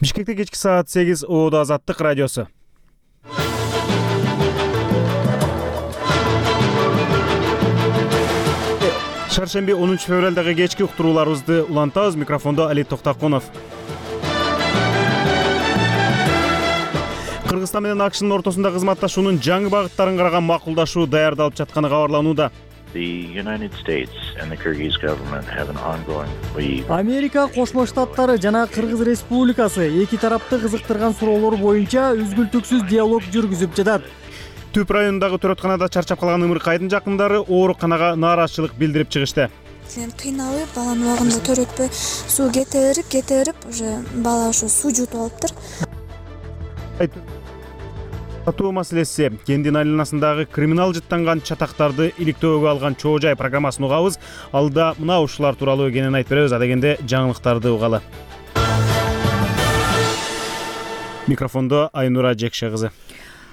Бишкекте кечки саат 8 ООД Азаттык радиосу. Шаршемби 10 февралдагы кечки уктурууларыбызды улантабыз. Микрофондо Али Токтакунов. Кыргызстан менен АКШнын ортосунда кызматташуунун жаңы багыттарын караган макулдашуу даярдалып жатканы кабарланууда. Америка Кошмо Штаттары жана Кыргыз Республикасы эки тарапты кызыктырган суроолор боюнча үзгүлтүксүз диалог жүргүзүп жатат. Түп районундагы төрөтканада чарчап калган Ымыркайдын жакындары ооруканага нааразычылык билдирип чыгышты. Кыйналып, баланы убагында төрөтпөй, суу кетирип, уже бала ошо суу жутуп алыптыр. Сатуу маселеси. Кендин айланасындагы криминал жыттанган чатактарды иликтөөгө алган чоо жай программасын угабыз. Алда мына ушулар тууралуу кенен айтып беребиз. Адегенде жаңылыктарды угалы. Микрофондо Айнура Жекше кызы.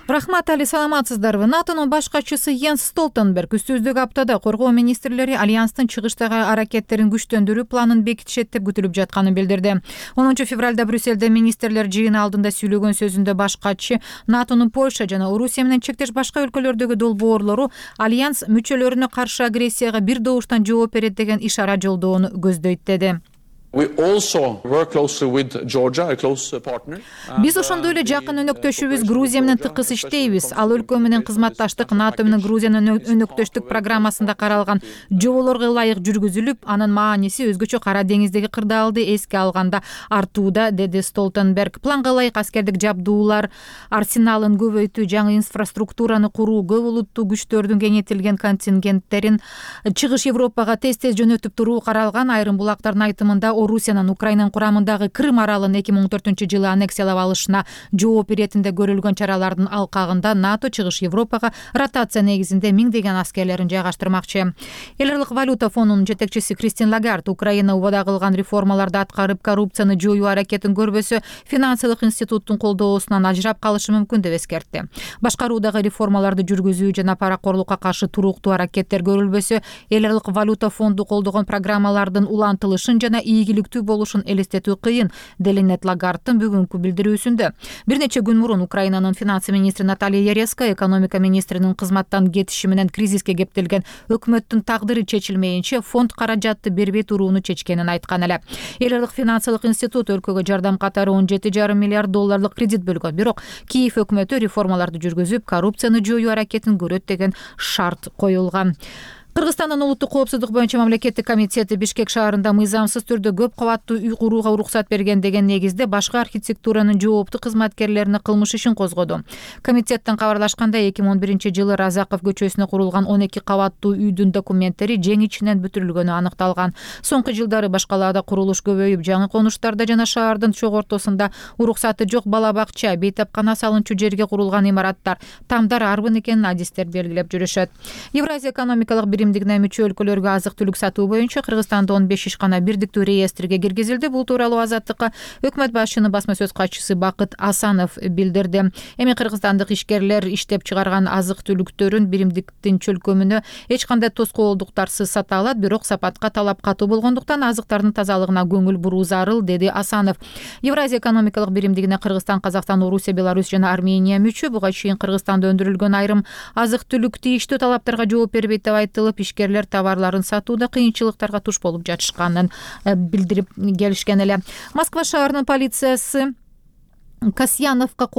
Рахмат, Али, саламатсыздарбы? НАТОнун баш катчысы Йенс Столтенберг үстүздүк аптада коргоо министрлери альянстын чыгыштагы аракеттерин күчтөндүрүү планын бекитишет деп күтүлүп жатканын билдирди. 10 февралда Брюссельде министрлер жыйыны алдында сүйлөгөн сөзүндө баш катчы НАТОнун Польша жана Орусия менен чектеш башка өлкөлөрдөгү долбоорлору альянс мүчөлөрүнө каршы агрессияга бир добуштан жооп берет деген ишара жолдоону көздөйт деди. Биз ошондой эле жакын өнөктөшүбүз Грузия менен тыкыз иштейбиз. Ал өлкө менен кызматташтык НАТО менен Грузиянын өнөктөштүк программасында каралган жоболорго ылайык жүргүзүлүп, анын мааниси өзгөчө Кара деңиздеги кырдаалды эске алганда артууда, деди Столтенберг. Планга ылайык аскердик жабдуулар арсеналын көбөйтүү, жаңы инфраструктураны куруу, көп улуттуу күчтөрдүн кеңейтилген контингенттерин чыгыш Европага тез-тез жөнөтүп туруу каралган. Айрым булактардын айтымында Орусиянын Украинанын курамындагы Крым аралын 2014-жылы аннексиялап алышына жооп иретинде көрүлгөн чаралардын алкагында НАТО чыгыш Европага ротация негизинде миңдеген аскерлерин жайгаштырмакчы. Эл аралык валюта фондунун жетекчиси Кристин Лагард Украина убада кылган реформаларды аткарып, коррупцияны жоюу аракетин көрбөсө, финансылык институттун колдоосунан ажырап калышы мүмкүн деп эскертти. Башкаруудагы реформаларды жүргүзүү жана паракорлукка каршы туруктуу аракеттер көрүлбөсө, эл аралык валюта фонду колдогон программалардын улантылышын жана ийгиликтүү болушун элестетүү кыйын, делинет Лагардтын бүгүнкү билдирүүсүндө. Бир нече күн мурун Украинанын финансы министри Наталья Яреска экономика министринин кызматтан кетиши менен кризиске кептелген өкмөттүн тагдыры чечилмейинче фонд каражатты бербей турууну чечкенин айткан эле. Эл аралык финансылык институт өлкөгө жардам катары $17,5 миллиард кредит бөлгөн. Бирок Киев өкмөтү реформаларды жүргүзүп, коррупцияны жоюу аракетин көрөт деген шарт коюлган. Кыргызстандын улуттук коопсуздук боюнча мамлекеттик комитети Бишкек шаарында мыйзамсыз түрдө көп кабаттуу үй курууга уруксат берген деген негизде башка архитектуранын жооптуу кызматкерлерине кылмыш ишин козгоду. Комитеттен кабарлашкандай, 2011-жылы Разаков көчөсүнө курулган 12 кабаттуу үйдүн документтери жең ичинен бүтүрүлгөнү аныкталган. Соңку жылдары башкалаада курулуш көбөйүп, жаңы конуштарда жана шаардын чок ортосунда уруксаты жок бала бакча, бейтапкана салынчу жерге курулган имараттар, тамдар арбын экенин адистер белгилеп жүрүшөт. Евразия экономикалык биримдигине мүчө өлкөлөргө азык-түлүк сатуу боюнча Кыргызстанда 15 ишкана бирдиктүү реестрге киргизилди. Бул тууралуу Азаттыкка өкмөт башчынын басма сөз катчысы Бакыт Асанов билдирди. Эми кыргызстандык ишкерлер иштеп чыгарган азык-түлүктөрүн биримдиктин чөлкөмүнө эч кандай тоскоолдуктарсыз сата алат, бирок сапатка талап катуу болгондуктан азыктардын тазалыгына көңүл буруу зарыл, деди Асанов. Евразия экономикалык биримдигине Кыргызстан, Казакстан, Орусия, Беларусь жана Армения мүчө. Буга чейин Кыргызстанда өндүрүлгөн айрым азык-түлүк тийиштүү талаптарга жооп бербейт деп айтылып, ишкерлер товарларын сатууда кыйынчылыктарга туш болуп жатышканын билдирип келишкен эле. Москва шаарынын полициясы Касьяновка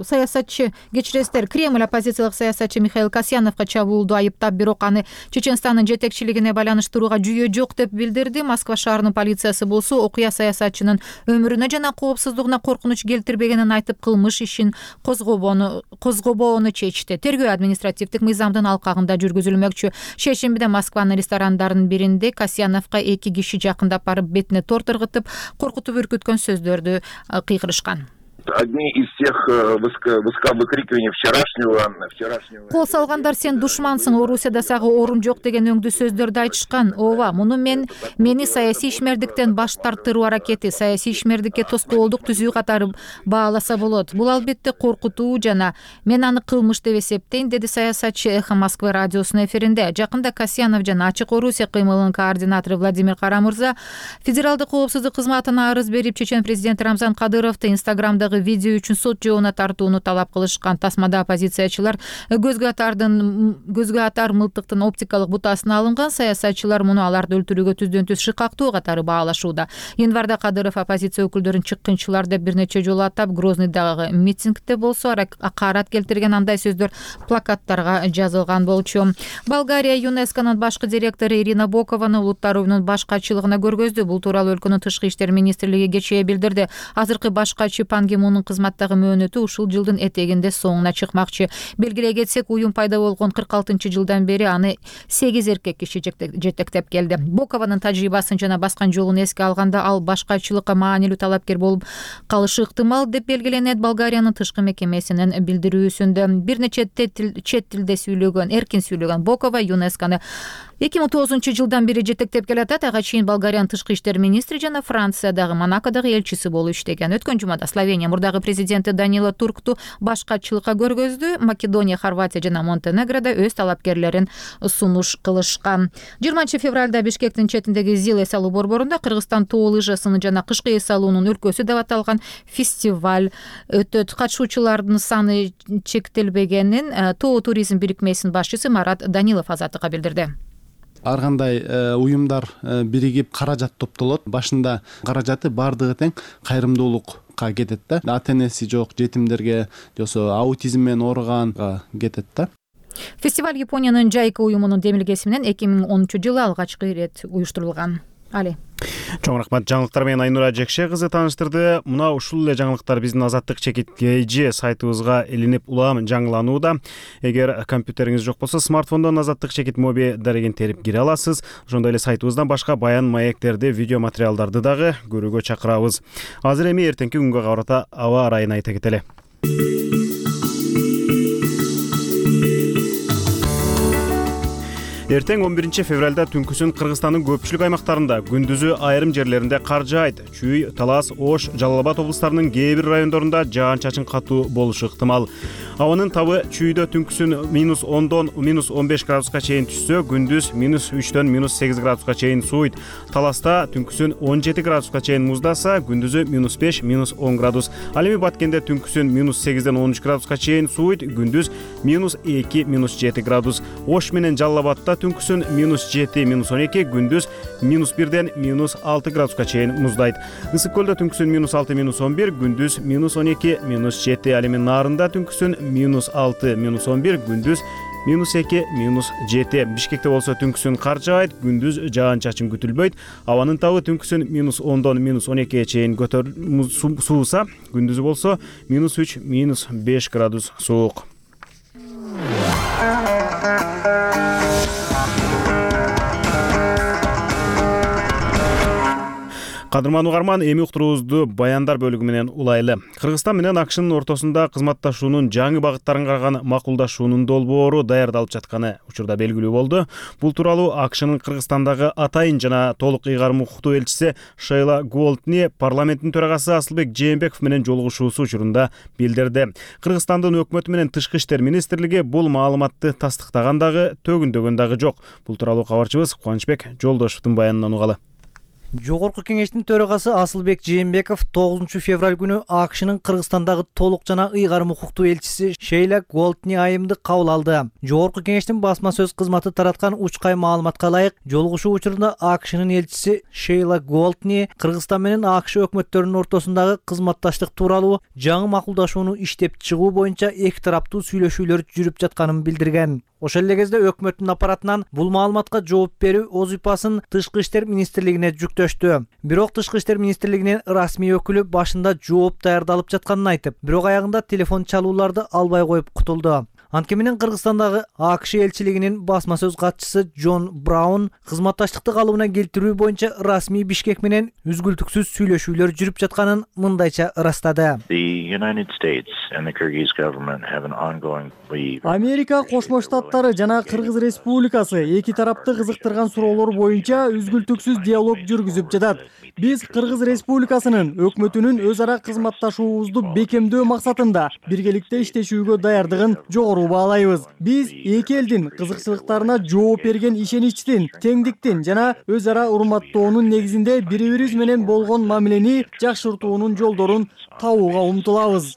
саясатчы, кечиресиздер, Кремль оппозициялык саясатчы Михаил Касьяновка чабуулду айыптап, бирок аны Чеченстандын жетекчилигине байланыштырууга жүйө жок деп билдирди. Москва шаарынын полициясы болсо окуя саясатчынын өмүрүнө жана коопсуздугуна коркунуч келтирбегенин айтып, кылмыш ишин козгобоону чечти. Тергөө административдик мыйзамдын алкагында жүргүзүлмөкчү. Шейшембиде Москванын ресторандарынын биринде Касьяновка 2 киши жакындап барып, бетине торт ыргытып, коркутуп үркүткөн сөздөрдү кыйгырышкан. Одни из тех выкрикиваний вчерашнего. Кол салгандар сен душмансың, Орусияда сага орун жок деген өңдүү сөздөрдү айтышкан. Ооба, муну мени саясий ишмердиктен баш тартыруу аракети, саясий ишмердикке тоскоолдук түзүү катары бааласа болот. Бул албетте коркутуу жана мен аны кылмыш деп эсептейм, деди саясатчы Эхо Москвы радиосунун эфиринде. Жакында Касьянов жана Ачык Орусия кыймылынын координатору Владимир Карамырза федералдык коопсуздук кызматына арыз берип, чечен президент Рамзан Кадыровду Инстаграмдагы видео үчүн сот жообуна тартууну талап кылышкан. Тасмада оппозициячылар көзгө атар мылтыктын оптикалык бутасына алынган. Саясатчылар муну аларды өлтүрүүгө түздөн-түз шыкактуу катары баалашууда. Январда Кадыров оппозиция өкүлдөрүн чыккынчылар деп бир нече жолу атап, Грозныйдагы митингде болсо акарат келтирген андай сөздөр плакаттарга жазылган болчу. Болгария ЮНЕСКОнун башкы директору Ирина Бокованы улуттар уюмунун баш катчылыгына көргөздү. Бул тууралуу өлкөнүн тышкы иштер министрлиги кечээ билдирди. Азыркы баш катчы Пан Ги Мунун кызматтагы мөөнөтү ушул жылдын этегинде соңуна чыкмакчы. Белгилей кетсек, уюм пайда болгон 46-жылдан бери аны 8 эркек киши жетектеп келди. Бокованын тажрыйбасын жана баскан жолун эске алганда, ал баш катчылыкка маанилүү талапкер болуп калышы ыктымал деп белгиленет. Болгариянын тышкы мекемесинин билдирүүсүндө бир нече чет тилде сүйлөгөн, эркин сүйлөгөн Бокова ЮНЕСКону 2009-жылдан бери жетектеп келатат. Ага чейин Болгариянын тышкы иштер министри жана Франциядагы, Монакодогу элчиси болуп иштеген. Өткөн жумада Словения мурдагы президенти Данило Туркту баш катчылыкка көргөздү. Македония, Хорватия жана Монтенегрода өз талапкерлерин сунуш кылышкан. 20-февралда Бишкектин четиндеги ЗИЛ эс алуу борборунда Кыргызстан тоо лыжасынын жана кышкы эс алуунун өлкөсү деп аталган фестиваль өтөт. Катышуучулардын саны чектелбегенин тоо туризм бирикмесинин башчысы Марат Данилов Азаттыкка билдирди. Ар кандай уюмдар биригип каражат топтолот. Башында каражаты бардыгы тең кайрымдуулукка кетет да. Ата-энеси жок жетимдерге, жосо аутизм менен ооруганга кетет да. Фестиваль Япониянын Жайка уюмунун демилгеси менен 2010-жылы алгачкы ирет уюштурулган. Али. Чоң рахмат. Жаңылыктар менен Айнура Жекше кызы тааныштырды. Мына ушул эле жаңылыктар биздин Азаттык чекит KG сайтыбызга илинип улам жаңыланууда. Эгер компьютериңиз жок болсо, смартфондон Азаттык чекит моби дареген терип кире аласыз. Ошондой эле сайтыбыздан башка баян маектерди, видео материалдарды дагы көрүүгө чакырабыз. Азыр эми эртеңки күнгө карата аба ырайын айта кетели. Эртең 11-февралда түнкүсүн Кыргызстандын көпчүлүк аймактарында, күндүзү айрым жерлеринде кар жаайт. Чүй, Талас, Ош, Жалал Абад облустарынын кээ бир райондорунда жаан-чачын катуу болушу ыктымал. Абанын табы чүйдө түнкүсүн -10дон -15 градуска чейин түшсө, күндүз -3дөн -8 градуска чейин сууйт. Таласта түнкүсүн 17 градуска чейин муздаса, күндүзү -5 -10 градус. Ал эми Баткенде түнкүсүн -8ден -13 градуска чейин сууйт, күндүз -2 -7 градус. Ош менен Жалал Абадта түнкүсүн -7 -12, күндүз -1ден -6 градуска чейин муздайт. Ысык көлдө түнкүсүн -6 -11, күндүз -12 -7. Ал эми Нарында түнкүсүн -6 -11, күндүз -2 -7. Бишкекте болсо түнкүсүн кар жаайт, күндүз жаан-чачын күтүлбөйт. Абанын табы түнкүсүн -10дон -12 чейин сууса, күндүзү болсо -3 -5 градус суук. Кадырман угарман, эми уктуруубузду баяндар бөлүгү менен улайлы. Кыргызстан менен АКШнын ортосунда кызматташуунун жаңы багыттарын караган макулдашуунун долбоору даярдалып жатканы учурда белгилүү болду. Бул тууралуу АКШнын Кыргызстандагы атайын жана толук ыйгарым укуктуу элчиси Шейла Голдни парламенттин төрагасы Асылбек Жээнбеков менен жолугушуусу учурунда билдирди. Кыргызстандын өкмөтү менен Тышкы иштер министрлиги бул маалыматты тастыктаган дагы, төгүндөгөн дагы жок. Бул тууралуу кабарчыбыз Кубанычбек Жолдошовдун баянынан угалы. Жогорку кеңештин төрагасы Асылбек Жээнбеков 9-февраль күнү АКШнын Кыргызстандагы толук жана ыйгарым укуктуу элчиси Шейла Голдни айымды кабыл алды. Жогорку кеңештин басма сөз кызматы тараткан учкай маалыматка ылайык, жолугушуу учурунда АКШнын элчиси Шейла Голдни Кыргызстан менен АКШ өкмөттөрүнүн ортосундагы кызматташтык тууралуу жаңы макулдашууну иштеп чыгуу боюнча эки тараптуу сүйлөшүүлөр жүрүп жатканын билдирген. Ошол эле кезде өкмөттүн аппаратынан бул маалыматка жооп берүү вазыйфасын Тышкы иштер министрлигине жүктөштү. Бирок Тышкы иштер министрлигинин расмий өкүлү башында жооп даярдалып жатканын айтып, бирок аягында телефон чалууларды албай коюп кутулду. Анткени менен Кыргызстандагы АКШ элчилигинин басма сөз катчысы Джон Браун кызматташтыкты калыбына келтирүү боюнча расмий Бишкек менен үзгүлтүксүз сүйлөшүүлөр жүрүп жатканын мындайча ырастады. Америка Кошмо Штаттары жана Кыргыз Республикасы эки тарапты кызыктырган суроолор боюнча үзгүлтүксүз диалог жүргүзүп жатат. Биз Кыргыз Республикасынын өкмөтүнүн өз ара кызматташуубузду бекемдөө максатында биргеликте иштешүүгө даярдыгын жогору баалайбыз. Биз эки элдин кызыкчылыктарына жооп берген ишеничтин, теңдиктин жана өз ара урматтоонун негизинде бири-бирибиз менен болгон мамилени жакшыртуунун жолдорун табууга умтулабыз.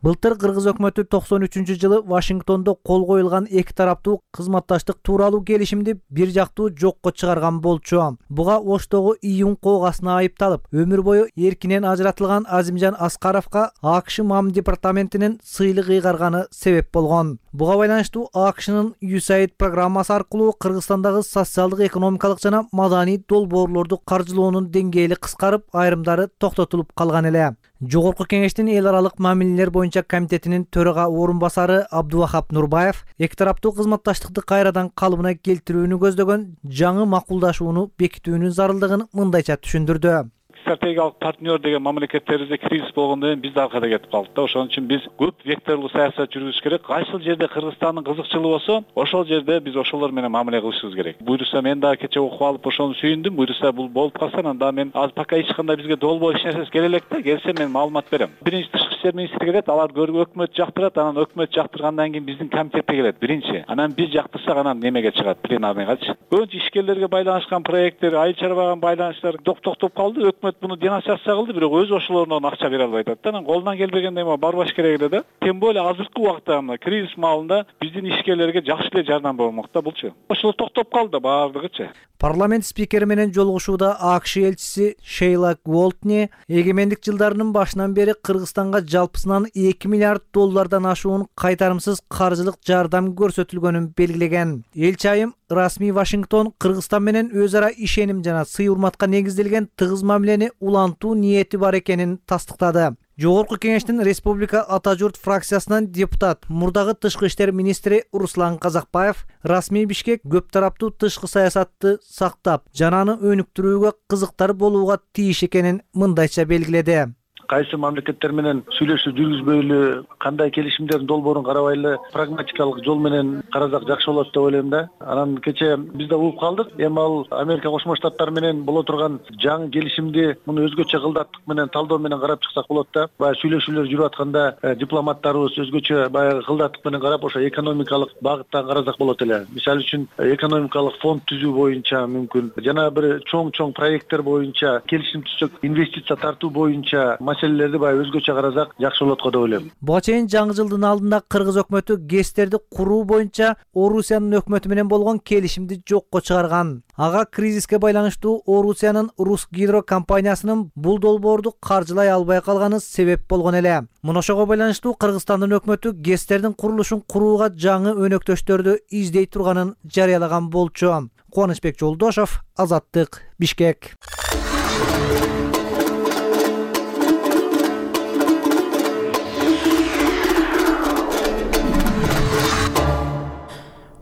Былтыр Кыргыз өкмөтү 93-жылы Вашингтондо кол коюлган эки тараптуу кызматташтык тууралуу келишимди бир жактуу жокко чыгарган болчу. Буга Оштогу июнь коогасына айыпталып, өмүр бою эркинен ажыратылган Азимжан Аскаровго АКШ МАМ департаментинин сыйлык ыйгарганы себеп болгон. Буга байланыштуу АКШнын USAID программасы аркылуу Кыргызстандагы социалдык, экономикалык жана маданий долбоорлорду каржылоонун деңгээли кыскарып, айрымдары токтотулуп калган эле. Жогорку кеңештин эл аралык мамилелер боюнча комитетинин төрага орун басары Абдувахап Нурбаев эки тараптуу кызматташтыкты кайрадан калыбына келтирүүнү көздөгөн жаңы макулдашууну бекитүүнүн зарылдыгын мындайча түшүндүрдү. Стратегиялык партнер деген мамлекеттерибизде кризис болгондон кийин биз да аркада кетип калдык да. Ошон үчүн биз көп векторлуу саясат жүргүзүш керек. Кайсыл жерде Кыргызстандын кызыкчылыгы болсо, ошол жерде биз ошолор менен мамиле кылышыбыз керек. Буйруса мен дагы кече окуп алып ошону сүйүндүм. Буйруса бул болуп калса, анда мен азыр пока эч кандай бизге долбоо эч нерсеси келе элек да. Келсе мен маалымат берем. Биринчи тышкы иштер министри келет, алар өкмөт жактырат, анан өкмөт жактыргандан кийин биздин комитетке келет биринчи. Анан биз жактырсак, анан немеге чыгат, пленарныйгачы. Көбүнчө ишкерлерге байланышкан проекттер, айыл чарбага байланыштар токтоп калды. Өкмөт буну денонсация кылды, бирок өз ошолоруна акча бере албай атат да. Анан колунан келбегенде барбаш керек эле да. Тем более азыркы убакта мына кризис маалында биздин ишкерлерге жакшы эле жардам болмок да булчу. Ошол токтоп калды баардыгычы. Парламент спикери менен жолугушууда АКШ элчиси Шейла Голтни эгемендик жылдарынын башынан бери Кыргызстанга жалпысынан 2 миллиард доллардан ашуун кайтарымсыз каржылык жардам көрсөтүлгөнүн белгилеген. Элчи айым расмий Вашингтон Кыргызстан менен өз ара ишеним жана сый урматка негизделген тыгыз мамилени улантуу ниети бар экенин тастыктады. Жогорку кеңештин Республика Ата журт фракциясынан депутат, мурдагы тышкы иштер министри Руслан Казакбаев расмий Бишкек көп тараптуу тышкы саясатты сактап, жана аны өнүктүрүүгө кызыктар болууга тийиш экенин мындайча белгиледи. Кайсы мамлекеттер менен сүйлөшүү жүргүзбөйлү, кандай келишимдердин долбоорун карабайлы, прагматикалык жол менен карасак жакшы болот деп ойлойм да. Анан кече биз да угуп калдык. Эми ал Америка Кошмо Штаттары менен боло турган жаңы келишимди муну өзгөчө кылдаттык менен, талдоо менен карап чыксак болот да. Баягы сүйлөшүүлөр жүрүп атканда дипломаттарыбыз өзгөчө баягы кылдаттык менен карап, ошо экономикалык багыттан карасак болот эле. Мисалы үчүн экономикалык фонд түзүү боюнча мүмкүн, жана бир чоң проекттер боюнча келишим түзсөк, инвестиция тартуу боюнча маселелерди баягы өзгөчө карасак жакшы болот го деп ойлойм. Буга чейин жаңы жылдын алдында Кыргыз өкмөтү ГЭСтерди куруу боюнча Орусиянын өкмөтү менен болгон келишимди жокко чыгарган. Ага кризиске байланыштуу Орусиянын Русгидро компаниясынын бул долбоорду каржылай албай калганы себеп болгон эле. Муну ошого байланыштуу Кыргызстандын өкмөтү ГЭСтердин курулушун курууга жаңы өнөктөштөрдү издей турганын жарыялаган болчу. Кубанычбек Жолдошов, Азаттык, Бишкек.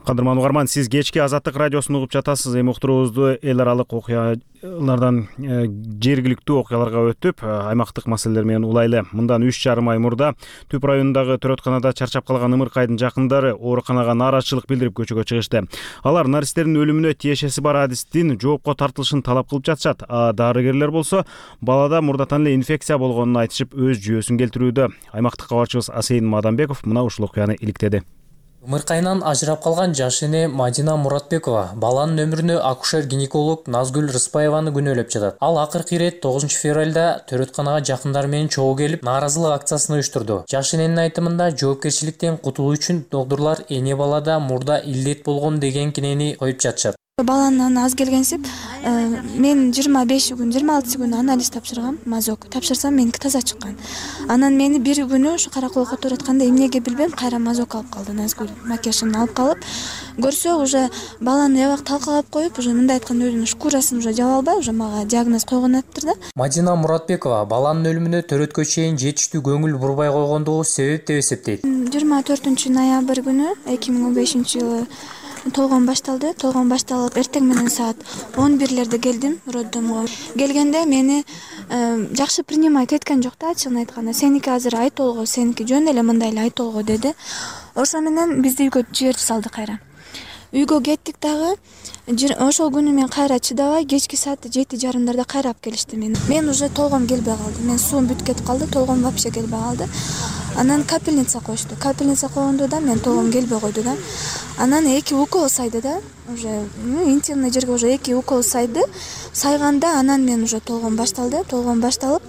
Кадырман угарман, сиз кечки Азаттык радиосун угуп жатасыз. Эми уктуруубузду эл аралык окуялардан жергиликтүү окуяларга өтүп, аймактык маселелер менен улайлы. Мындан 3,5 ай мурда Түп районундагы төрөтканада чарчап калган Ымыркайдын жакындары ооруканага нааразычылык билдирип көчөгө чыгышты. Алар наристердин өлүмүнө тиешеси бар адистин жоопко тартылышын талап кылып жатышат. Дарыгерлер болсо балада мурдатан эле инфекция болгонун айтышып, өз жүйөсүн келтирүүдө. Аймактык кабарчыбыз Асейин Мадамбеков мына ушул окуяны иликтеди. Ымыркайынан ажырап калган жаш эне Мадина Муратбекова баланын өмүрүнө акушер-гинеколог Назгүл Рыспаеваны күнөөлөп жатат. Ал акыркы ирет 9 февралда төрөтканага жакындары менен чогуу келип, нааразылык акциясын уюштурду. Жаш эненин айтымында жооптурчулуктан кутулуу үчүн доктурлар эне балада мурда илдет болгон деген кинени коюп жатышат. Баланын аз келгенсип, мен 25 күн, 26 күн анализ тапшыргам, мазок. Тапшырсам меники таза чыккан. Анан мени бир күнү ушу караколго төрөткөндө эмнеге билбем, кайра мазок алып калды, Назгүл макияжын алып калып, көрсө уже баланы эбак талкалап коюп, уже мындай айтканда өзүнүн шкурасын уже жаба албай, уже мага диагноз койгон атыптыр да. Мадина Муратбекова баланын өлүмүнө төрөткө чейин жетиштүү көңүл бурбай койгондугу себеп деп эсептейт. 24 ноябрь күнү 2015-жылы толгон башталды. Толгон башталып, эртең менен саат 11-лерде келдим роддомго. Келгенде мени жакшы принимать эткен жок да, ачыгын айтканда. Сеники азыр айтолго, сеники жөн эле мындай эле айтолго деди. Ошо менен бизди үйгө жиберип салды кайра. Үйгө кеттик дагы. Ошол күнү мен кайра чыдабай, кечки саат 7:30 кайра алып келишти мени. Мен уже толгом келбей калды. Мен суум бүтүп кетип калды, толгом вообще келбей калды. Анан капельница коюшту. Капельница койгондо да мен толгом келбей койду да. Анан 2 укол сайды да. Уже интимный жерге уже 2 укол сайды. Сайганда анан мен уже толгом башталды. Толгом башталып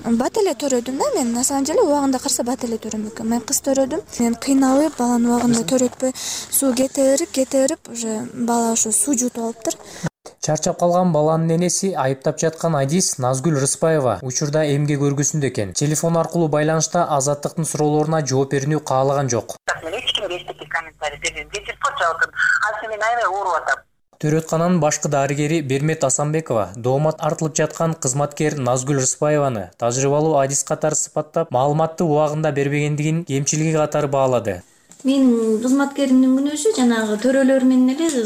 бат эле төрөдүм да мен. На самом деле убагында карса бат эле төрөм экен. Мен кыз төрөдүм. Мен кыйналып, баланы убагында төрөтпөй, суу кете берип уже бала ошо суу жутуп алыптыр. Чарчап калган баланын энеси айыптап жаткан Айдис Назгүл Рыспаева учурда эмгек өргүсүндө экен. Телефон аркылуу байланышта Азаттыктын суроолоруна жооп берүүнү каалаган жок. Төрөткананын башкы дарыгери Бермет Асанбекова доомат артылып жаткан кызматкер Назгүл Рыспаеваны тажрыйбалуу Айдис катары сыпаттап, маалыматты убагында бербегендигин кемчилиги катары баалады. Менин кызматкеримдин күнөөсү жанагы төрөлөр менен эле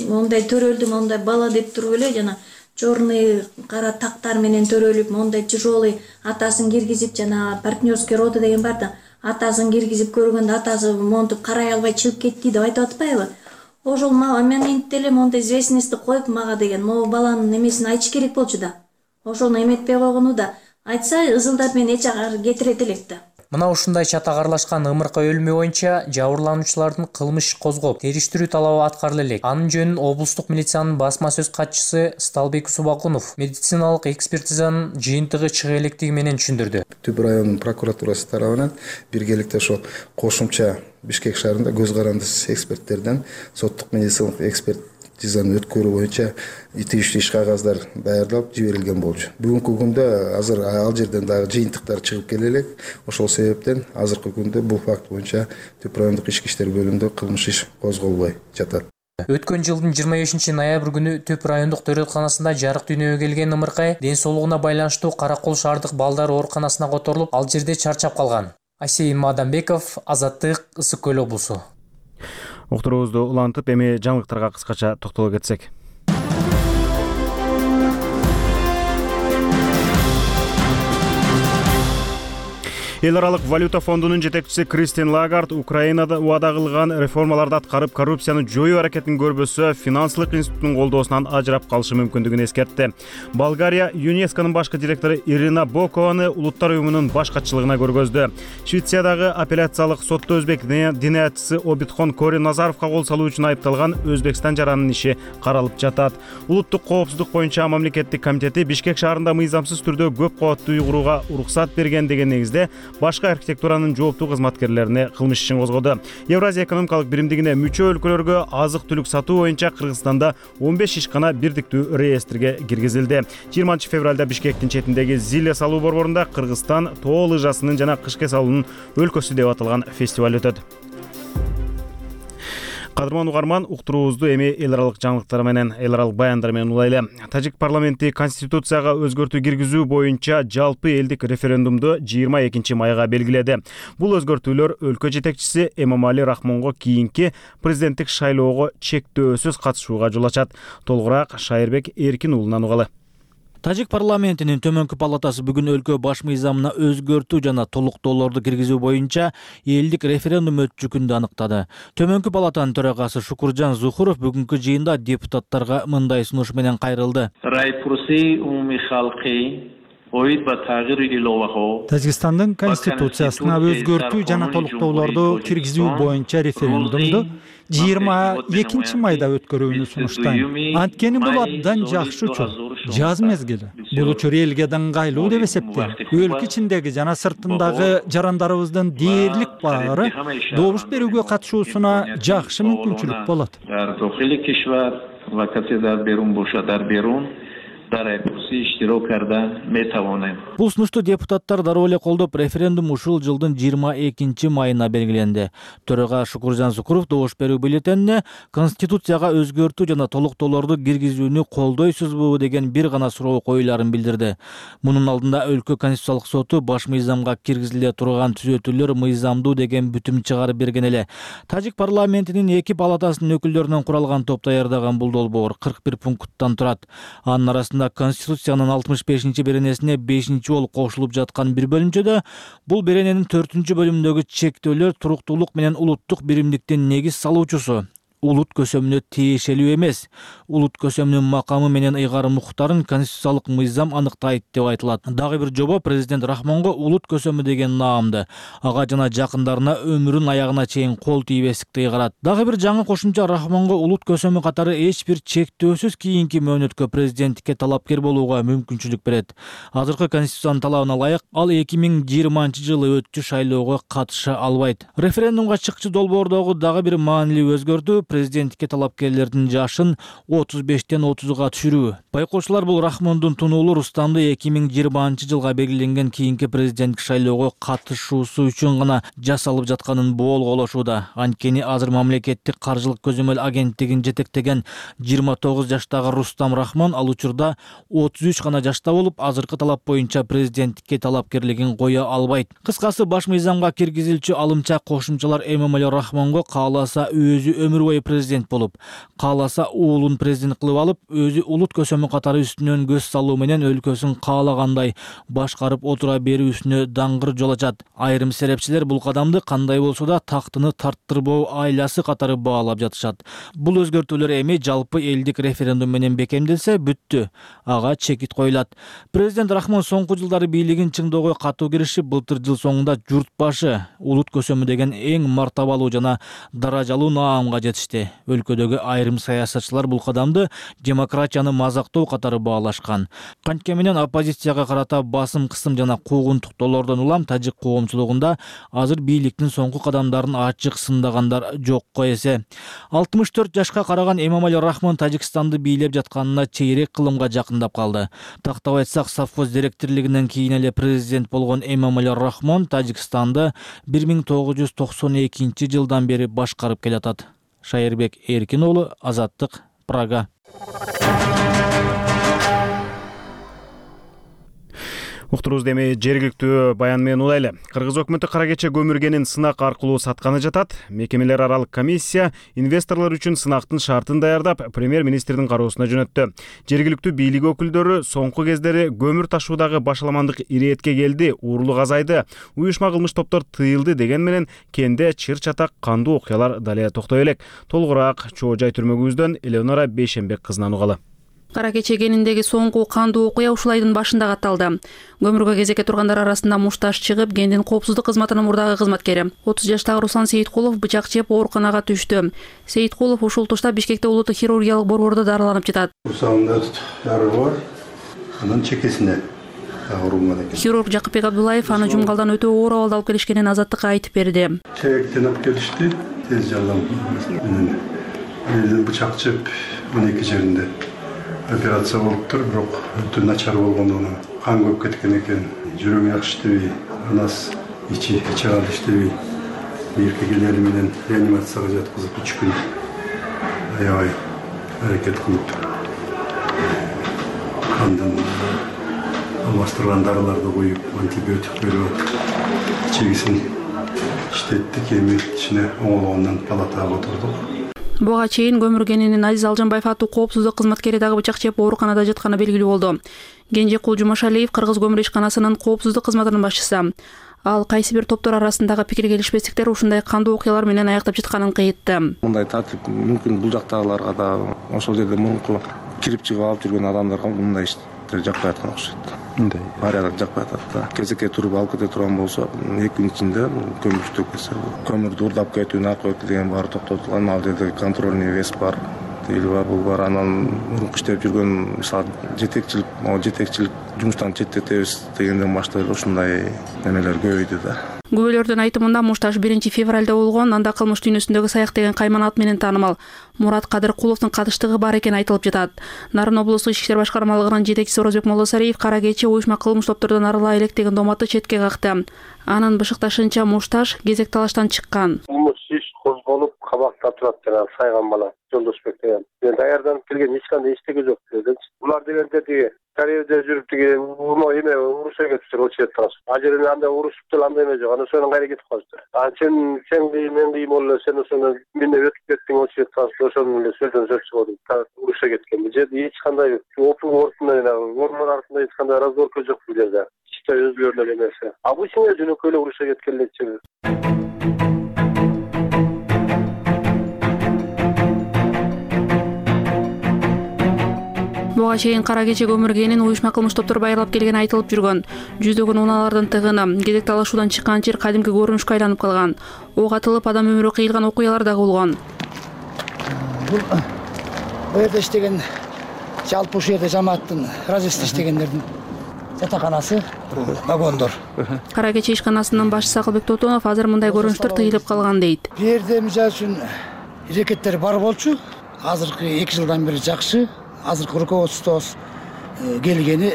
мондай төрөлдүм, мондай бала деп туруп эле жана черный кара тактар менен төрөлүп, мондай тяжелый атасын киргизип, жана партнерский роды деген бар да, атасын киргизип көргөндө атасы монтуп карай албай чыгып кетти деп айтып атпайбы? Ошол моментте эле мондай известностьты коюп мага деген, могу баланын эмесин айтыш керек болчу да. Ошону эметпей койгону да, айтса ызылдап мен эч жагы кетирет элек да. Мына ушундай чатагарлашкан ымыркы өлүмү боюнча жабырлануучулардын кылмыш иш козгоп, териштирүү талабы аткарыла элек. Анын жөнүн облустук милициянын басма сөз катчысы Сталбек Субакунов медициналык экспертизанын жыйынтыгы чыга электиги менен түшүндүрдү. Түп районунун прокуратурасы тарабынан биргеликте ошо кошумча Бишкек шаарында көз карандысыз эксперттерден соттук медициналык экспертизаны өткөрүү боюнча тийиштүү иш кагаздар даярдалып жиберилген болчу. Бүгүнкү күндө азыр ал жерден дагы жыйынтыктар чыгып келе элек. Ошол себептен азыркы күндө бул факт боюнча Түп райондук ички иштер бөлүмүндө кылмыш иш козголбой жатат. Өткөн жылдын 25-ноябрь күнү Түп райондук төрөтканасында жарык дүйнөгө келген ымыркай ден соолугуна байланыштуу Каракол шаардык балдар ооруканасына которулуп, ал жерде чарчап калган. Асейин Мадамбеков, Азаттык, Ысык Көл облусу. Уктуруубузду улантып, эми жаңылыктарга кыскача токтоло кетсек. Эл аралык валюта фондунун жетекчиси Кристин Лагард Украинада убада кылган реформаларды аткарып, коррупцияны жоюу аракетин көрбөсө, финансылык институттун колдоосунан ажырап калышы мүмкүндүгүн эскертти. Болгария ЮНЕСКОнун башкы директору Ирина Бокованы улуттар уюмунун баш катчылыгына көргөздү. Швециядагы апелляциялык сотто өзбек диниятчысы Обидхон Кори Назаровго кол салуу үчүн айыпталган Өзбекстан жаранынын иши каралып жатат. Улуттук коопсуздук боюнча мамлекеттик комитети Бишкек шаарында мыйзамсыз түрдө көп кабаттуу үй курууга уруксат берген деген негизде башка архитектуранын жооптуу кызматкерлерине кылмыш ишин козгоду. Евразия экономикалык биримдигине мүчө өлкөлөргө азык-түлүк сатуу боюнча Кыргызстанда 15 ишкана бирдиктүү реестрге киргизилди. 20 февралда Бишкектин четиндеги Зиле салуу борборунда Кыргызстан тоо лыжасынын жана кышке салуунун өлкөсү деп аталган фестиваль өтөт. Кадырман угарман, уктуруубузду эми эл аралык жаңылыктар менен, эл аралык баяндар менен улайлы. Тажик парламенти конституцияга өзгөртүү киргизүү боюнча жалпы элдик референдумду 22 майга белгиледи. Бул өзгөртүүлөр өлкө жетекчиси Эмомали Рахмонго кийинки президенттик шайлоого чектөөсүз катышууга жол ачат. Толугураак Шайырбек Эркин уулунан угалы. Тажик парламентинин төмөнкү палатасы бүгүн өлкө баш мыйзамына өзгөртүү жана толуктоолорду киргизүү боюнча элдик референдум өтчүкүндү аныктады. Төмөнкү палатанын төрагасы Шукуржан Зухуров бүгүнкү жыйында депутаттарга мындай сунуш менен кайрылды. Тажикстандын конституциясына өзгөртүү жана толуктоолорду киргизүү боюнча референдумду 22 майда өткөрүүнү сунуштайм. Анткени бул абдан жакшы учур, жаз мезгили. Бул учур элге даңгайлуу деп эсептейм. Өлкө ичиндеги жана сыртындагы жарандарыбыздын дээрлик баары добуш берүүгө катышуусуна жакшы мүмкүнчүлүк болот. Бул сунушту депутаттар дароо эле колдоп, референдум ушул жылдын 22 майына белгиленди. Төрага Шукуржан Зукуров добуш берүү бюллетенине конституцияга өзгөртүү жана толуктоолорду киргизүүнү колдойсузбу деген бир гана суроо коюларын билдирди. Мунун алдында өлкө конституциялык соту баш мыйзамга киргизиле турган түзөтүүлөр мыйзамдуу деген бүтүм чыгарып берген эле. Тажик парламентинин 2 палатасынын өкүлдөрүнөн куралган топ даярдаган бул долбоор 41 пункттан турат. Анын арасында убактында Конституциянын 65-беренесине 5-жолу кошулуп жаткан бир бөлүмчөдө бул берененин 4-бөлүмүндөгү чектөөлөр туруктуулук менен улуттук биримдиктин негиз салуучусу улут көсөмүнө тиешелүү эмес. Улут көсөмүнүн макамы менен ыйгарым укуктарын конституциялык мыйзам аныктайт деп айтылат. Дагы бир жобо президент Рахмонго улут көсөмү деген наамды ага жана жакындарына өмүрүнүн аягына чейин кол тийбестикти ыйгарат. Дагы бир жаңы кошумча Рахмонго улут көсөмү катары эч бир чектөөсүз кийинки мөөнөткө президенттикке талапкер болууга мүмкүнчүлүк берет. Азыркы конституциянын талабына ылайык ал 2020-жылы өтчү шайлоого катыша албайт. Референдумга чыкчы долбоордогу дагы бир маанилүү өзгөртүү президенттикке талапкерлердин жашын 35-тен 30-га түшүрүү. Байкоочулар бул Рахмондун тунуулу Рустамды 2020-жылга белгиленген кийинки президенттик шайлоого катышуусу үчүн гана жасалып жатканын боолголошууда. Анткени азыр мамлекеттик каржылык көзөмөл агенттигин жетектеген 29 жаштагы Рустам Рахмон ал учурда 33 гана жашта болуп, азыркы талап боюнча президенттикке талапкерлигин кое албайт. Кыскасы, баш мыйзамга киргизилчү алымча кошумчалар Эмомали Рахмонго кааласа өзү өмүр бою президент болуп, кааласа уулун президент кылып алып, өзү улут көсөмү катары үстүнөн көз салуу менен өлкөсүн каалагандай башкарып отура берүүсүнө даңгыр жол ачат. Айрым серепчилер бул кадамды кандай болсо да тактыны тарттырбоо айласы катары баалап жатышат. Бул өзгөртүүлөр эми жалпы элдик референдум менен бекемделсе бүттү. Ага чекит коюлат. Президент Рахмон соңку жылдары бийлигин чыңдоого катуу киришип, былтыр жыл соңунда журт башы улут көсөмү деген эң мартабалуу жана даражалуу наамга жетишти. Өлкөдөгү айрым саясатчылар бул кадамды демократияны мазактоо катары баалашкан. Кантке менен оппозицияга карата басым кысым жана куугунтуктоолордон улам тажик коомчулугунда азыр бийликтин соңку кадамдарын ачык сындагандар жокко эсе. 64 жашка караган Эмомали Рахмон Тажикстанды бийлеп жатканына чейрек кылымга жакындап калды. Тактап айтсак, совхоз директорлигинен кийин эле президент болгон Эмомали Рахмон Тажикстанды 1992-жылдан бери башкарып келатат. Шайырбек Эркин уулу, Азаттык, Прага. Уктурубузду эми жергиликтүү баян менен улайлы. Кыргыз өкмөтү кара кече көмүргенин сынак аркылуу сатканы жатат. Мекемелер аралык комиссия инвесторлор үчүн сынактын шартын даярдап, премьер-министрдин кароосуна жөнөттү. Жергиликтүү бийлик өкүлдөрү соңку кездери көмүр ташуудагы башаламандык иретке келди, уурулук азайды, уюшма кылмыш топтор тыйылды деген менен кенде чыр-чатак кандуу окуялар дале токтой элек. Толугураак Чоо Жай түрмөгүбүздөн Элеонора Бейшенбек кызынан угалы. Кара кече кениндеги соңку кандуу окуя ушул айдын башында катталды. Көмүргө кезекке тургандар арасында мушташ чыгып, кендин коопсуздук кызматынын мурдагы кызматкери 30 жаштагы Руслан Сейиткулов бычак жеп ооруканага түштү. Сейиткулов ушул тушта Бишкекте улуттук хирургиялык борбордо дарыланып жатат. Курсагымда жары бар, анан чекесине ооруган экен. Хирург Жакыпбек Абдуллаев аны жумгалдан өтө оор абалда алып келишкенин Азаттыкка айтып берди. Чегектен алып келишти, тез жардам менен. Бычак жеп 12 жеринде операция болуптур, бирок өтө начар болгондугунан кан көп кеткен экен. Жүрөгү жакшы иштебей, анас ичи кал иштебей, мейиркегелери менен реанимацияга жаткызып 3 күн аябай аракет кылып кандан алмаштырган дарыларды коюп, антибиотик берип, чегисин иштеттик, эми ичине оңолгондон палатага отурдук. Буга чейин көмүргенинин Азиз Алжанбаев аттуу коопсуздук кызматкери дагы бычак жеп ооруканада жатканы белгилүү болду. Кенжекул Жумашалиев Кыргыз көмүр ишканасынын коопсуздук кызматынын башчысы. Ал кайсы бир топтор арасындагы пикир келишпестиктер ушундай кандуу окуялар менен аяктап жатканын кыйтты. Мындай тартип мүмкүн бул жактагыларга да, ошол жерде мурунку кирип чыгып алып жүргөн адамдарга мындай иштер жакпай аткан окшойт. Мындай барияк жакпай атат да. Кезекке туруп алып кете турган болсо, 2 күн ичинде көмүр түтүп кетсе, көмүрдү урдап кетүү, наркотик деген баары токтотулган, ал жерде контрольный вес бар. Бул бар, анан мурунку иштеп жүргөн мисалы жетекчилик жумуштан четтетебиз дегенден баштап ушундай немелер көбөйдү да. Күбөлөрдүн айтымында Мушташ 1 февралда болгон, анда кылмыш дүйнөсүндөгү Саяк деген кайман ат менен таанымал Мурат Кадыркуловдун катыштыгы бар экени айтылып жатат. Нарын облустук ички иштер башкармалыгынын жетекчиси Орозбек Молдосариев кара кече уюшма кылмыш топтордон арыла элек деген доматты четке какты. Анын бышыкташынча Мушташ кезек талаштан чыккан. Кылмыш иш козголуп, кабакта турат жана Сайган бала Жолдошбек деген. Мен даярданып келген эч кандай иштеге жок дедимчи. Булар дегенде тиги Кореяда жүрүп тиги эме урушка кетиптир очередтен. Ажерин андай урушуп деле андай эме жок. Анан ошонун кайра кетип калыптыр. Сен мен кийим болду, сен ошондон менен өтүп кеттиң очередтен. Ошону эле сөздөн сөз чыгып урушка кеткен. Бул жерде эч кандай ордун артында эч кандай разборка жок бул жерде. Чисто өзгөрүнөн эмеси. Обычный жөнөкөй эле урушка кеткен эле. Буга чейин кара кече көмүргенин уюшма кылмыш топтор байырлап келгени айтылып жүргөн. Жүздөгөн унаалардын тыгыны, кезек талашуудан чыккан жер кадимки көрүнүшкө айланып калган. Ок атылып адам өмүрү кыйылган окуялар дагы болгон. Бул жерде иштеген жалпы ушул жерде жамааттын разведка иштегендердин жатаканасы, вагондор. Кара кече ишканасынын башчысы Акылбек Тотонов азыр мындай көрүнүштөр тыйылып калган дейт. Бул жерде мисалы үчүн аракеттер бар болчу. Азыркы 2 жылдан бери жакшы. Азыркы руководствобуз келгени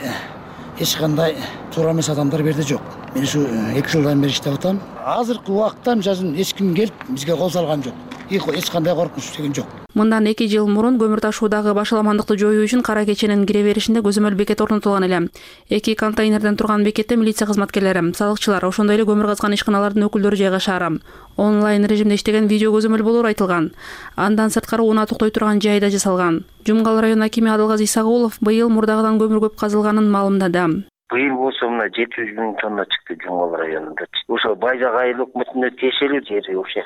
эч кандай туура эмес адамдар берде жок. Мен ушу 2 жылдан бери иштеп атам. Азыркы убакытта мисалы эч ким келип бизге кол салган жок. Эч кандай коркунуч деген жок. Мындан 2 жыл мурун көмүр ташуудагы башаламандыкты жоюу үчүн кара кеченин кире беришинде көзөмөл бекет орнотулган эле. 2 контейнерден турган бекетте милиция кызматкерлери, салыкчылар, ошондой эле көмүр казган ишканалардын өкүлдөрү жайгашар. Онлайн режимде иштеген видео көзөмөл болору айтылган. Андан сырткары унаа токтой турган жай да жасалган. Жумгал район акими Адылгазы Исагулов быйыл мурдагыдан көмүр көп казылганын маалымдады. Быйыл болсо мына 700 000 тонна чыкты Жумгал районунда. Ошо Байзак айыл өкмөтүнө тиешелүү жери ошол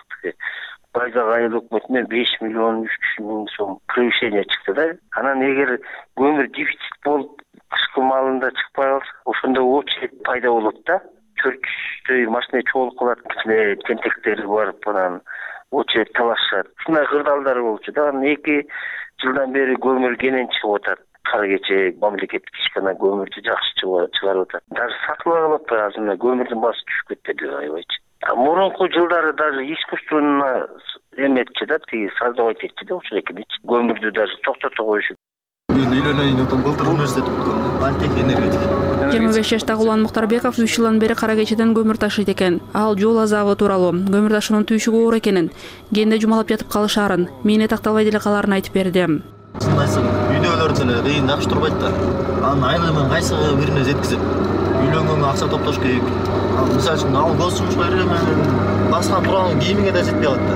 Байзак айыл өкмөтүнө 5 миллион 300 000 сом превышение чыкты да. Анан эгер көмүр дефицит болуп кышкы маалында чыкпай калса, ошондо очередь пайда болот да. 400 машина чогулуп калат, тентектери барып анан очередь талашат. Ушундай кырдаалдар болчу да. 2 жылдан бери көмүр кенен чыгып атат. Кара кече мамлекеттик ишкана көмүрдү жакшы чыгарып атат. Даже сатылып алып атпайбыз, азыр көмүрдүн баасы түшүп кетти деп айбайчы. Мурунку жылдары даже искусственно эметчи да, тиги создавать этчи да ушул экиничи. Көмүрдү даже токтото коюшу. Мен үйлөнөйүн өтөм, былтыр университет бүткөм. Политех энергетик. 25 жаштагы Улан Муктарбеков 3 жылдан бери кара кечеден көмүр ташыйт экен. Ал жол азабы тууралуу, көмүр ташуунун түйшүгү оор экенин, кенде жумалап жатып калышаарын, мээне такталбай деле калаарын айтып берди. Чындайсың, үйдөгүлөр деле кыйын жакшы турбайт да. Анын айлыгын кайсы бирине жеткизип, үйлөнгөнгө акча топтош керек. Мисалы үчүн ал көз жумушка кирген баскан турган кийимиңе да жетпей калат да.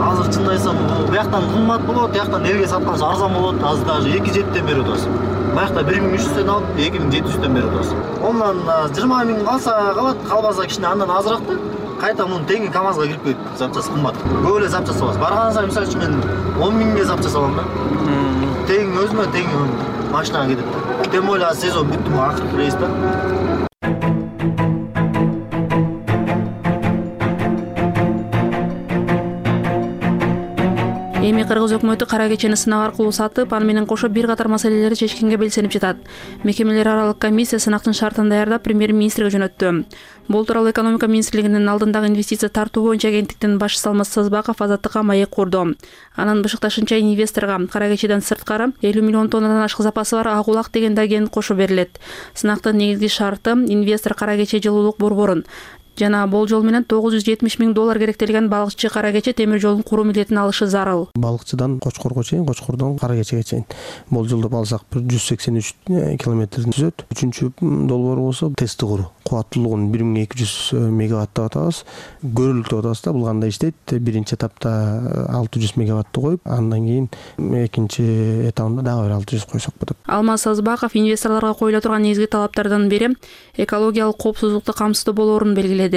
Азыр чындайсың, бияктан кымбат болот, бияктан элге сатканча арзан болот. Азыр даже 2,7 берип атабыз. Баягта 1.300 алып, 2.700 берип атабыз. Ондан 20 000 калса калат, калбаса кичине андан азыраак да. Кайта муну теңи КамАЗга кирип койуп, запчасы кымбат. Көп эле запчасы бар. Барган сайын мисалы үчүн мен 10 000 запчасы алам да. Тең өзүмө тең машинага кетет. Тем более сезон бүттү, акыркы рейс да. Эми Кыргыз өкмөтү кара кечени сынак аркылуу сатып, аны менен кошо бир катар маселелерди чечкенге белсенип жатат. Мекемелер аралык комиссия сынактын шартын даярдап премьер-министрге жөнөттү. Бул тууралуу экономика министрлигинин алдындагы инвестиция тартуу боюнча агенттиктин башчысы Алмаз Сазбаков Азаттыкка маек курду. Анын бышыкташынча инвесторго кара кечеден сырткары 50 миллион тоннадан ашык запасы бар ак улак деген агент кошо берилет. Сынактын негизги шарты инвестор кара кече жылуулук борборун жана болжол менен $970 000 керектелген балыкчы кара кече темир жолун куруу милдетин алышы зарыл. Балыкчыдан Кочкорго чейин, Кочкордон кара кечеге чейин болжолдоп алсак 183 километрден түзөт. Үчүнчү долбоор болсо тести куруу. Кубаттуулугун 1200 мегаватт деп атабыз. Көрүлүк деп атабыз да. Бул кандай иштейт? Биринчи этапта 600 мегаваттты коюп, андан кийин экинчи этабында дагы 600 койсок болот. Алмаз Сазбаков инвесторлорго коюла турган негизги талаптардын бири экологиялык коопсуздукту камсыздоо болоорун белгиледи.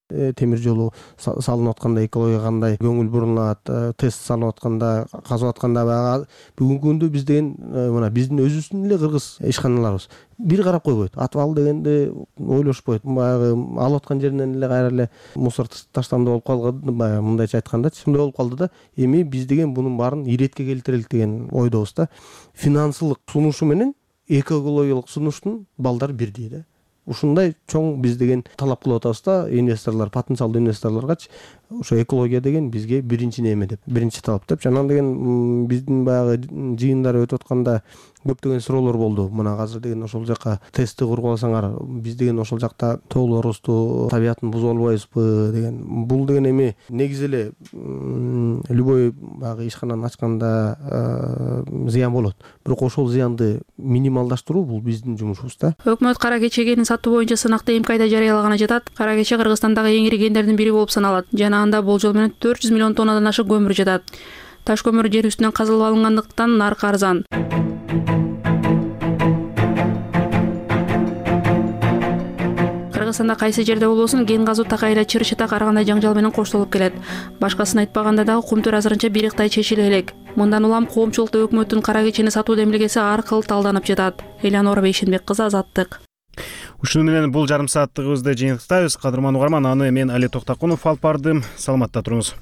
Темир жолу салынып атканда экологияга кандай көңүл бурулат, тест салынып атканда, казып атканда баягы бүгүнкү күндө биз деген мына биздин өзүбүздүн эле кыргыз ишканаларыбыз бир карап койбойт. Атып ал дегенде ойлошпойт. Баягы алып аткан жеринен эле кайра эле мусор таштамда болуп калган, баягы мындайча айткандачы, ушундай болуп калды да. Эми биз деген бунун баарын иретке келтирелик деген ойдобуз да. Финансылык сунушу менен экологиялык сунуштун балдары бирдей да. Ушундай чоң биз деген талап кылып атабыз да, инвесторлор, потенциалдуу инвесторлоргачы ошо экология деген бизге биринчи неме деп, биринчи талап деп. Анан деген биздин баягы жыйындар өтүп атканда көптөгөн суроолор болду. Мына азыр деген ошол жака тестти куруп алсаңар, биз деген ошол жакта тоолорубузду, табиятын бузуп албайбызбы деген. Бул деген эми негизи эле любой баягы ишкананы ачканда зыян болот. Бирок ошол зыянды минималдаштыруу бул биздин жумушубуз да. Өкмөт кара кечегенин сатуу боюнча сынакты эмкайда жарыялаганы жатат. Кара кече Кыргызстандагы эң ири кендердин бири болуп саналат жана анда болжол менен 400 миллион тоннадан ашык көмүр жатат. Таш көмүр жер үстүнөн казылып алынгандыктан наркы арзан. Кыргызстанда кайсы жерде болбосун кен казуу такайла чыр-чытак ар кандай жаңжал менен коштолуп келет. Башкасын айтпаганда дагы кумтөр азырынча бириктай чечиле элек. Мындан улам коомчулукта өкмөттүн кара кечени сатуу демилгеси ар кыл талданып жатат. Элянора Бейшенбек кызы, Азаттык. Ушуну менен бул жарым сааттыгыбызды жыйынтыктайбыз. Кадырман угарман, аны мен Али Токтакунов алып бардым. Саламатта туруңуз.